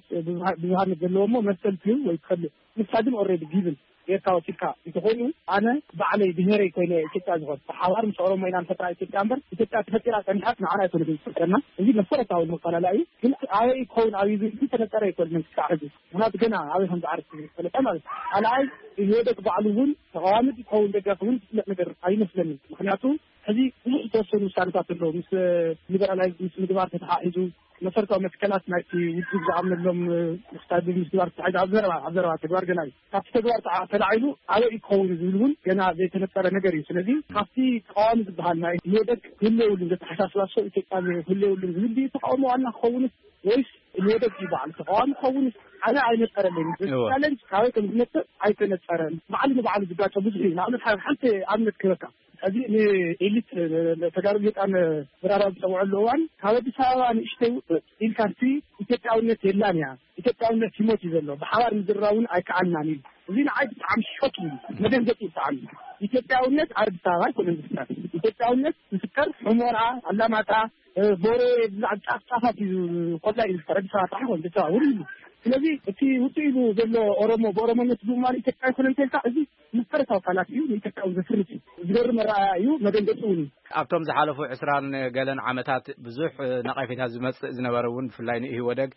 ብዙሃነት ዘለዎ እሞ መሰል ትህብ ወይ ትኸልእ ንሳ ግን ኦልሬዲ ጊቭን ጌርካ ወሲድካ እንተኾይኑ ኣነ ባዕለይ ብሄረይ ኮይነ ኢትዮጵያ ዝኾን ብሓባር ምስ ኦሮሞ ኢና ንፈጥራ ኢትዮጵያ እምበር ኢትዮጵያ ተፈጢራ ፀኒሓት ንዓና ኣይኮነ ዝፈጥረና። እዚ መሰረታዊ መፈላለ እዩ። ግን ኣበይ ክኸውን ኣብዩ ዝብል ዝተነፀረ ኣይኮነን ክሳዕ ሕዚ። ምክንያቱ ገና ኣበይ ከም ዝዓርፍ ዝፈለጠ ማለት እዩ። ካልኣይ ኢህወደግ ባዕሉ እውን ተቃዋሚ ክኸውን ደጋፊ እውን ዝፍለጥ ነገር ኣይመስለንን። ምክንያቱ ሕዚ ብዙሕ ዝተወሰኑ ውሳነታት ኣለዉ ምስ ሊበራላይዝ ምስ ምግባር ተተሓሒዙ መሰረታዊ መትከላት ናይቲ ውድብ ዝኣምነሎም ውሳነ ምስግባር ተታሒዙ ኣብ ዘረባ ኣብ ዘረባ ተግባር ገና እዩ። ካብቲ ተግባር ተዓ- ተላዒሉ ኣበይ እዩ ክኸውን ዝብል እውን ገና ዘይተነፀረ ነገር እዩ። ስለዚ ካብቲ ተቃዋሚ ዝበሃል ናይ ኢህወደግ ህልውልን ዘተሓሳስባ ሰው ኢትዮጵያ ህልውልን ዝብል ድዩ ተቃውሞ ዋና ክኸውንስ ወይስ ኢህወደግ እዩ በዓል ተቃዋሚ ክኸውንስ ኣነ ኣይነፀረለይን። እወ። ቻለንጅ ካበይ ከም ዝመፅእ ኣይተነፀረን። ባዕሉ ንባዕሉ ዝጋጨ ብዙሕ እዩ። ንኣብነት ሓደ ሓንቲ ኣብነት ክህበካ። እዚ ንኤሊት ተጋሩ ጌጣን ብራራ ዝፀውዐሉ እዋን ካብ ኣዲስ ኣበባ ንእሽተይ ውፅእ ኢልካሲ ኢትዮጵያውነት የላን እያ። ኢትዮጵያውነት ይሞት እዩ ዘሎ። ብሓባር ምዝራውን ኣይከኣልናን እዩ። እዚ ንዓይ ብጣዕሚ ሾክ እዩ። መደንገፂ እዩ ብጣዕሚ። ኢትዮጵያውነት ኣብ ኣዲስ ኣበባ ኣይኮነን ዝፍጠር። ኢትዮጵያውነት ዝፍጠር ሑመራ፣ ኣላማጣ፣ ቦሬ፣ ብዛዕባ ጫፍ ጫፋት እዩ። ኮላ እዩ ዝፍጠር። ኣዲስ ኣበባ ጥራሕ ኮን ብቻ ውሪ ኢሉ። ስለዚ እቲ ውፅእ ኢሉ ዘሎ ኦሮሞ ብኦሮሞነት ብምባል ኢትዮጵያ ኣይኮነን ተልካ እዚ መሰረታዊ ቃላት እዩ። ንኢትዮጵያ እውን ዘፍርስ እዩ። ዝገርም ኣረኣእያ እዩ። መደንገፂ እውን እዩ። ኣብቶም ዝሓለፉ ዕስራን ገለን ዓመታት ብዙሕ ነቐፌታ ዝመጽእ ዝነበረ እውን ብፍላይ ንኢህወደግ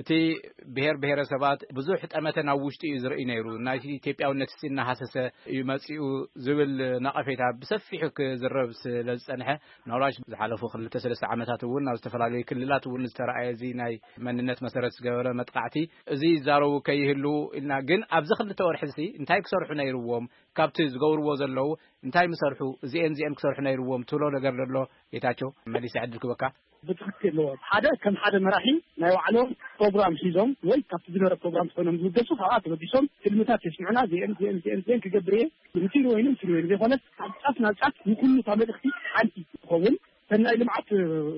እቲ ብሄር ብሄረሰባት ብዙሕ ጠመተ ናብ ውሽጢ እዩ ዝርኢ ነይሩ። ናይቲ ኢትዮጵያውነት ሲ እናሃሰሰ እዩ መጺኡ ዝብል ነቐፌታ ብሰፊሑ ክዝረብ ስለ ዝጸንሐ ምናልባሽ ዝሓለፉ ክልተ ሰለስተ ዓመታት እውን ኣብ ዝተፈላለዩ ክልላት እውን ዝተረኣየ እዚ ናይ መንነት መሰረት ዝገበረ መጥቃዕቲ እዚ ይዛረቡ ከይህልዉ ኢልና። ግን ኣብዚ ክልተ ወርሒ እዚ እንታይ ክሰርሑ ነይርዎም? ካብቲ ዝገብርዎ ዘለዉ እንታይ ምሰርሑ? እዚኤን እዚኤን ክሰርሑ ነይርዎም ትብሎ ነገር ዘሎ ጌታቸው? መሊሰ ዕድል ክበካ። ብትኽክል ኣለዎ። ሓደ ከም ሓደ መራሒ ናይ ባዕሎም ፕሮግራም ሒዞም ወይ ካብቲ ዝነበረ ፕሮግራም ኮይኖም ዝውደሱ፣ ካብኣ ተበጊሶም ትልምታት የስምዑና። ዚኤን ዚኤን ዚኤን ዚኤን ክገብር እየ፣ ንትግሪ ወይኑ ንትግሪ ወይኑ ዘይኮነስ፣ ካብ ጫፍ ናብ ጫፍ ንኩሉ እታ መልእኽቲ ሓንቲ ትኸውን። ሰናይ ልምዓት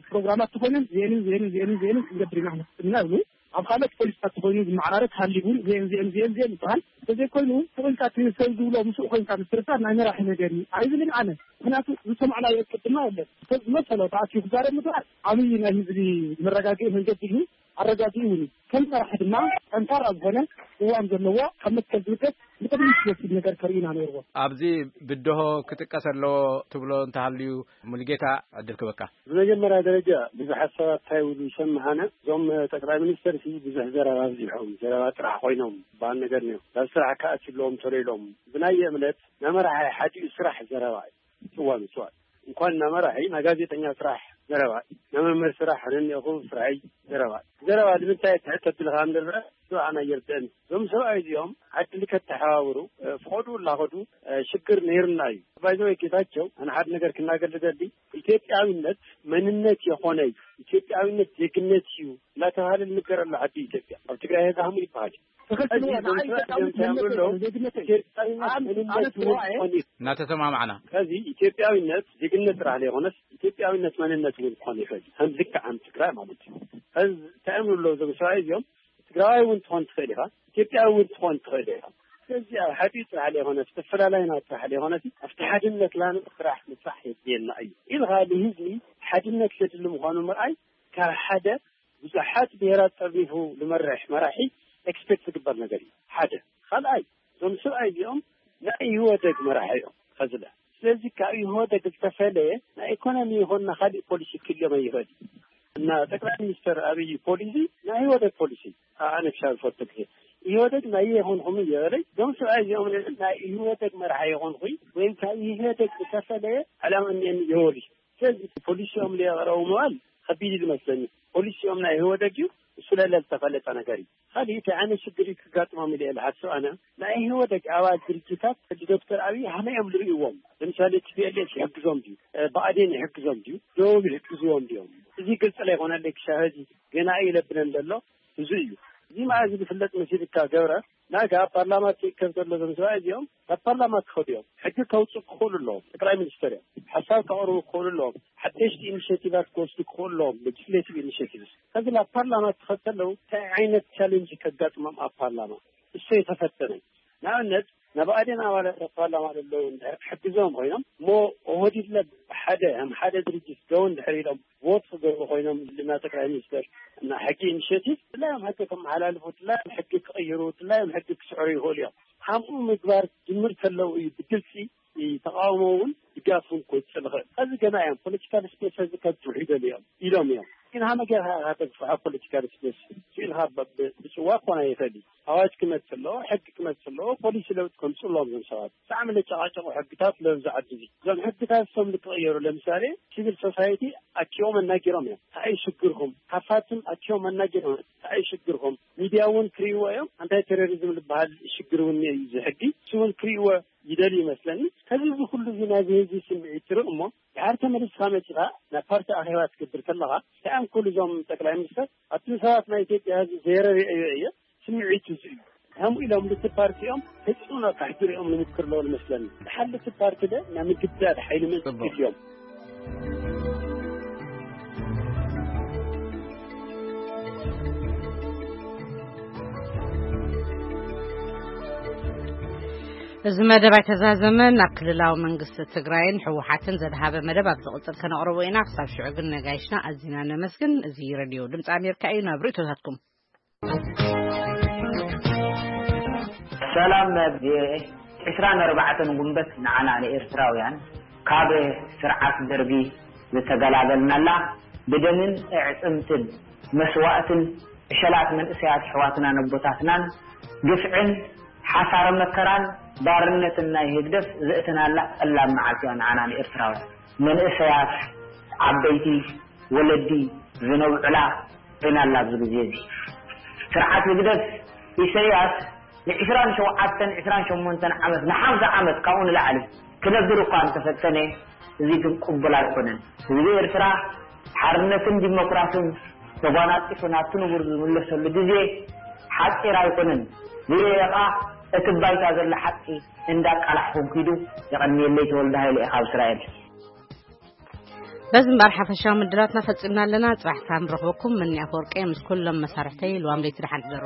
ፕሮግራማት ተኾይነን ዚኤንን ዚኤንን ዚኤንን ዚኤንን ክንገብር ኢና ንፍትና ይብሉ። ኣብ ካልኦት ፖሊስታት ተኾይኑ ዝመዓራረግ ሃሊቡን ዚኤን ዚኤን ዚኤን ዚኤን ይበሃል። እንተዘይኮይኑ ተኾይንካ እቲ ሰብ ዝብሎ ምስኡ ኮይንካ ምትርፋር ናይ መራሒ ነገር እዩ ኣይብልን ኣነ። ምክንያቱ ዝሰማዕናዮ ቅድማ የለን። ሰብ ዝመሰሎ ተኣኪቡ ክዛረብ ምግባር ዓብዪ ናይ ህዝቢ መረጋግኢ መንገዲ እዩ። ኣረጋጊ እውን እዩ። ከም መራሒ ድማ ጠንካራ ዝኾነ ቅዋም ዘለዎ ካብ መትከል ዝብገስ ንቅድሚት ዝወስድ ነገር ከርእዩና ነይርዎ። ኣብዚ ብድሆ ክጥቀስ ኣለዎ ትብሎ እንተሃልዩ ሙሉጌታ ዕድል ክበካ። ብመጀመርያ ደረጃ ብዙሓት ሰባት እንታይ ይብሉ ይሰምዓና፣ እዞም ጠቅላይ ሚኒስትር ሲ ብዙሕ ዘረባ ኣብዚሖም፣ ዘረባ ጥራሕ ኮይኖም በሃል ነገር ነዮም። ናብ ስራሕ ከኣት ይብሎም ተሎ ኢሎም። ብናየ እምነት ናመራሓይ ሓዲኡ ስራሕ ዘረባ እዩ። እዋን እዋን እንኳን ናመራሒ ናጋዜጠኛ ስራሕ ዘረባ፣ ናመምህር ስራሕ ነኒኹ ስራሕይ ዘረባ። ዘረባ ንምንታይ ትሕት ተብልካ እንደረ ኣና የርደን። እዞም ሰብኣይ እዚኦም ዓድሊ ከተሓባብሩ ፍቆዱ እናኸዱ ሽግር ነይርና እዩ። ባይዘወይ ጌታቸው ኣነ ሓደ ነገር ክናገር ልደሊ። ኢትዮጵያዊነት መንነት የኾነ እዩ፣ ኢትዮጵያዊነት ዜግነት እዩ እናተባሃለ ልንገረሉ ዓዲ ኢትዮጵያ ኣብ ትግራይ ዛህሙ ይበሃል። ትኽክል እዎ። ንዓይ ኢትዮጵያዊነት መንነት የለን፣ ዜግነት እዩ። ኣነ ኣነ ትግራዋይ እየ። እናተሰማማዕና ከዚ ኢትዮጵያዊነት ዜግነት ጥራሕ ዘይኮነስ ኢትዮጵያዊነት መንነት እውን ክኾን ይኽእል እዩ። ከም ልክዕ ከም ትግራይ ማለት እዩ። ከዚ እንታይ እዮም ዝብሉ እዞም ሰብኣይ እዚኦም? ትግራዋይ እውን ትኾን ትኽእል ኢኻ፣ ኢትዮጵያዊ እውን ትኾን ትኽእል ኢኻ። ስለዚ ኣብ ሓዲኡ ጥራሕ ዘይኮነስ ተፈላላይና ጥራሕ ዘይኮነስ ኣብቲ ሓድነት ላን ጥራሕ ምስራሕ የድልየና እዩ ኢልካ ንህዝቢ ሓድነት ዘድሊ ምዃኑ ምርኣይ ካብ ሓደ ብዙሓት ብሄራት ጠርኒፉ ዝመርሕ መራሒ ኤክስፔክት ዝግበር ነገር እዩ። ሓደ ካልኣይ እዞም ሰብኣይ እዚኦም ናይ ኢህወደግ መራሒ እዮም ከዝለ። ስለዚ ካብ ኢህወደግ ዝተፈለየ ናይ ኢኮኖሚ ይኹን ናይ ካሊእ ፖሊሲ ክልዮም ኣይኽእል እዩ። እና ጠቅላይ ሚኒስትር ኣብይ ፖሊሲ ናይ ኢህወደግ ፖሊሲ ኣነ ክሻብ ዝፈልጦ ግዜ ኢህወደግ ናይ የኾንኹም እየበለይ። እዞም ሰብኣይ እዚኦም ናይ ኢህወደግ መራሒ የኾንኹ ወይም ካብ ኢህወደግ ዝተፈለየ ዕላማ እኒአኒ ይበሉ። ስለዚ ፖሊሲኦም ዘቕረቡ ምባል ከቢድ እዩ ዝመስለኒ። ፖሊሲኦም ናይ ኢህወደግ እዩ፣ እሱ ለለ ዝተፈለጠ ነገር እዩ። ካልእ እንታይ ዓይነት ሽግር እዩ ክጋጥሞም ኢለ እየ ዝሓስብ ኣነ። ናይ ኢህወደግ ኣባል ድርጅታት ሕጂ ዶክተር ኣብይ ሃመይ እዮም ዝርእይዎም? ለምሳሌ ቲ ፒ ኤል ኤፍ ይሕግዞም ድዩ? ብኣዴን ይሕግዞም ድዩ? ደቡብ ይሕግዝዎም ድዮም? እዚ ግልፂ ዘይኮነለይ ክሻ ሕዚ ገና እዩ ይለብለን ዘሎ። እዚ እዩ። እዚ መዓዝ ዝፍለጥ መሲልካ ገብረ ናጋ ኣብ ፓርላማ ትእከብ ዘሎ ዞም ሰብኣይ እዚኦም ናብ ፓርላማ ክኸዱ እዮም። ሕጊ ከውፅኡ ክኽእሉ ኣለዎም። ጠቅላይ ሚኒስትር እዮም። ሓሳብ ከቕርቡ ክኽእሉ ኣለዎም። ሓደሽቲ ኢኒሽቲቫት ክወስዱ ክኽእሉ ኣለዎም። ሌጅስሌቲቭ ኢኒሽቲቭስ ከዚ ናብ ፓርላማ ክኸዱ ከለዉ እንታይ ዓይነት ቻሌንጅ ከጋጥሞም ኣብ ፓርላማ እሱ የተፈተነ። ንኣብነት ናብ ኣዴን ኣባላት ኣብ ፓርላማ ዘለዉ እንድሕር ክሕግዞም ኮይኖም እሞ ኦህዲድ ለብ ሓደ ከም ሓደ ድርጅት ደው እንድሕር ኢሎም ቮት ክገብሩ ኮይኖም ልና ጠቅላይ ሚኒስትር እና ሕጊ ኢኒሽቲቭ ድላዮም ሕጊ ክመሓላልፉ ድላዮም ሕጊ ክቕይሩ ድላዮም ሕጊ ክስዕሩ ይኽእሉ እዮም። ከምኡ ምግባር ጅምር ከለዉ እዩ ብግልፂ ተቃውሞ እውን ድጋፍ እውን ክወፅእ ዝኽእል። ከዚ ገና እዮም ፖለቲካል ስፔስ እዚ ከብፅሑ ይደልዩ እዮም ኢሎም እዮም። ግን ሃመ ጌርካ ኢኻ ተብፅሖ ፖለቲካል ስፔስ ስኢልካ ብፅዋ ክኾን ኣይኽእል እዩ። ኣዋጅ ክመፅእ ኣለዎ፣ ሕጊ ክመፅእ ኣለዎ፣ ፖሊሲ ለውጢ ከምፅኡ ኣለዎም እዞም ሰባት። ብጣዕሚ ለጨቃጨቁ ሕግታት ለብዙ ዓዲ እዚ እዞም ሕግታት እሶም ልክቕየሩ ለምሳሌ ሲቪል ሶሳይቲ ኣኪቦም ኣናጊሮም እዮም። እንታይ እዩ ሽግርኩም? ሃፋትም ኣኪቦም ኣናጊሮም እዮም። እንታይ እዩ ሽግርኩም? ሚድያ እውን ክርእይዎ እዮም። ኣንታይ ቴሮሪዝም ዝበሃል ሽግር እውን እዩ እዚ ሕጊ እሱ እውን ክርእይዎ ይደልዩ ይመስለኒ። ከዚ እዚ ኩሉ እዚ ናይዚ ህዝቢ ስምዒት ትርኢ እሞ ድሓር ተመሊስካ መፂኻ ናብ ፓርቲ ኣኼባ ትገብር ከለኻ እንታይ እዮም ክብሉ እዞም ጠቅላይ ሚኒስተር ኣብቲ ሰባት ናይ ኢትዮጵያ ህዝቢ ዘይረድኤዮ እየ ስምዒቱ እዚ እዩ። ከምኡ ኢሎም ልቲ ፓርቲ እዮም ተፅዕኖ ካሕድር እዮም ንምክር ኣለዎ ዝመስለኒ። ድሓር ልቲ ፓርቲ ደ ናይ ምግዳድ ሓይሊ መፅእ እዮም። እዚ መደብ ኣይተዛዘመን። ናብ ክልላዊ መንግስቲ ትግራይን ህወሓትን ዘድሃበ መደብ ኣብ ዝቕፅል ከነቕርቦ ኢና። ክሳብ ሽዑ ግን ነጋይሽና ኣዚና ነመስግን። እዚ ሬድዮ ድምፂ ኣሜሪካ እዩ። ናብ ርእቶታትኩም። ሰላም ናብ ቪኦኤ። ዕስራን ኣርባዕተን ጉንበት ንዓና ንኤርትራውያን ካብ ስርዓት ደርጊ ዝተገላገልናላ ብደምን ኣዕፅምትን መስዋእትን ዕሸላት መንእሰያት ኣሕዋትናን ኣቦታትናን ግፍዕን ሓሳረ መከራን ባርነትን ናይ ህግደፍ ዘእተናላ ጸላም መዓልቲ እያ ንዓና ንኤርትራውያን። መንእሰያት፣ ዓበይቲ፣ ወለዲ ዝነብዑላ ኮይናላ ኣብዚ ግዜ እዚ። ስርዓት ህግደፍ ኢሰያስ ንዕስራን ሸውዓተን ዕስራን ሸሞንተን ዓመት ንሓምሳ ዓመት ካብኡ ንላዕሊ ክነብር እኳ እንተፈተነ፣ እዚ ግን ቅቡል ኣይኮነን። ህዝቢ ኤርትራ ሓርነትን ዲሞክራስን ተጓናፂፉ ናብቲ ንቡር ዝምለሰሉ ግዜ ሓፂር ኣይኮነን። ዝየ ከዓ እቲ ባይታ ዘሎ ሓቂ እንዳቃላሕኩም ኪዱ። የቐንየለይ። ተወልደ ሃይለ እየ ካብ እስራኤል። በዚ እምበኣር ሓፈሻዊ ምድላትና ፈጺምና ኣለና። ጽባሕ ክሳብ ንረኽበኩም፣ ምኒ ኣፈወርቂ ምስ ኩሎም መሳርሕተይ ልዋም ለይቲ ደሓን ሕደሩ።